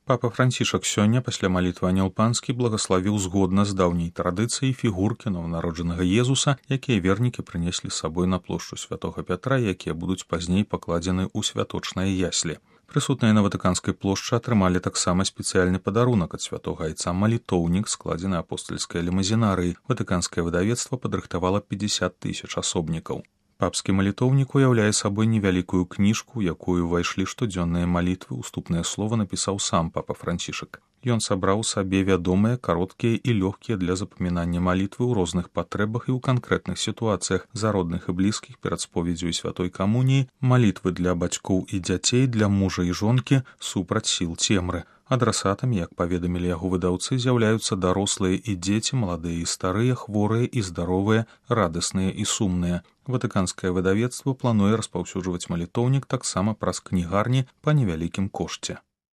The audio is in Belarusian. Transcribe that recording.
Папа Францішак сёння пасля малітвы Анёл Панскі благаславіў згодна з даўняй традыцыяй фігуркі нованароджанага Езуса, якія вернікі прынеслі з сабой на плошчу Святога Пятра, якія будуць пазней пакладзены ў святочныя яслі. Прысутныя на Ватыканскай плошчы атрымалі таксама спецыяльны падарунак ад святога айца малітоўнік, складзены апостальскай лімазінарыяй. Ватыканскае выдавецтва падрыхтавала 50 000 асобнікаў. Папскі малітоўнік уяўляе сабой невялікую кніжку, якую ўвайшлі штодзённыя малітвы, уступнае слова напісаў сам папа Францішак. Ён сабраў сабе вядомыя, кароткія і лёгкія для запамінання малітвы ў розных патрэбах і ў канкрэтных сітуацыях за родных і блізкіх перад споведзю і святой камуніі, малітвы для бацькоў і дзяцей, для мужа і жонкі супраць сіл цемры. Адрасатамі, як паведамілі яго выдаўцы, з'яўляюцца дарослыя і дзеці, маладыя і старыя, хворыя і здаровыя, радасныя і сумныя. Ватыканскае выдавецтва плануе распаўсюджваць малітоўнік таксама праз кнігарні па невялікім кошце.